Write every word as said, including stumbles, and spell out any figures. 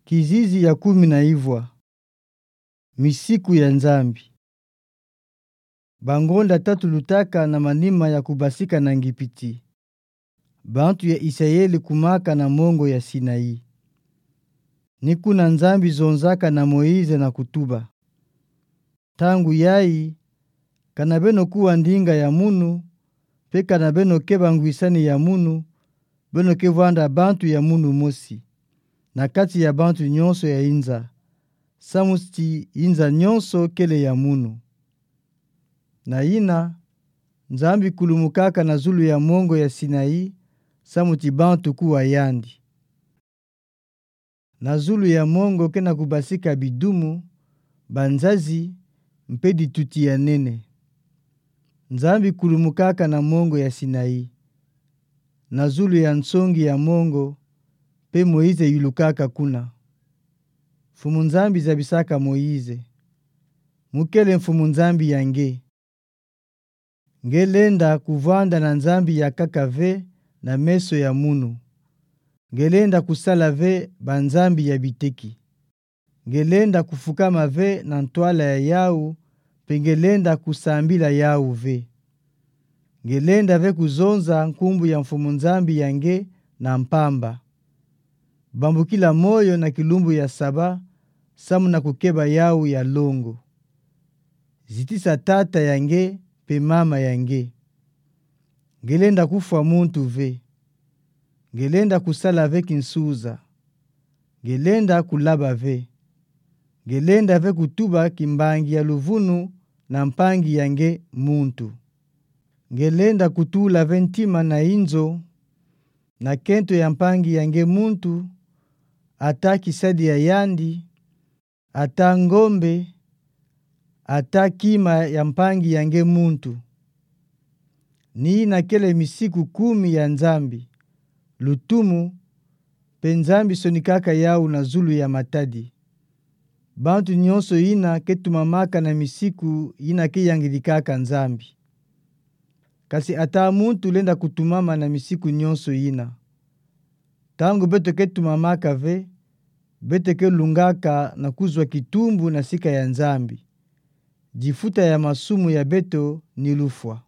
Kizizi ya kumi na ivwa. Misiku ya Nzambi. Bangonda tatu lutaka na manima ya kubasika na Ngipiti. Bantu ya Isayeli kumaka na mongo ya Sinaï. Ni kuna Nzambi zonzaka na Moïse na kutuba: Ntangu yayi, kana beno kuwa ndinga ya munu, mpe kana beno keba ngwisani ya munu, beno ke vwanda bantu ya munu mosi, na kati ya bantu nyonso ya inza, samu ti inza nyonso kele ya munu. Na yina, Nzambi kulumukaka na zulu ya mongo ya Sinaï, samu ti bantu kuwa yandi. Na zulu ya mongo ke na kubasika bidumu, banzazi, mpe dituti ya nene. Nzambi kulumukaka na mongo ya Sinaï, na zulu ya nsongi ya mongo, mpe Moïse yulukaka kuna. Mfumu Nzambi zabisaka Moïse: Mu kele Mfumu Nzambi ya nge. Nge lenda kuvwanda na nzambi ya nkaka ve na meso ya munu. Nge lenda kusala ve banzambi ya biteki. Nge lenda kufukama ve na ntwala ya yawu, mpe nge lenda kusambila yawu ve. Nge lenda ve kuzonza nkumbu ya Mfumu Nzambi ya nge na mpamba. Bambukila moyo na kilumbu ya Saba, samu na kukeba yawu ya longo. Zitisa tata ya nge mpe mama ya nge. Nge lenda kufwa muntu ve. Nge lenda kusala ve kinsuza. Nge lenda kulaba ve. Nge lenda ve kutuba kimbangi ya luvunu na mpangi ya nge muntu. Nge lenda kutula ve ntima na inzo na kento ya mpangi ya nge muntu, ata kisadi ya yandi, ata ngombe, ata kima ya mpangi ya nge muntu. Ni yina kele misiku kumi ya Nzambi, lutumu, mpe Nzambi sonikaka yawu na zulu ya matadi. Bantu nyonso yina ke tumamaka na misiku yina ke yangidikaka Nzambi. Kasi ata muntu lenda kutumama na misiku nyonso yina. Ntangu beto ke tumamaka ve, beto ke lungaka na kuzwa kitumbu na sika ya Nzambi. Difuta ya masumu ya beto ni lufwa.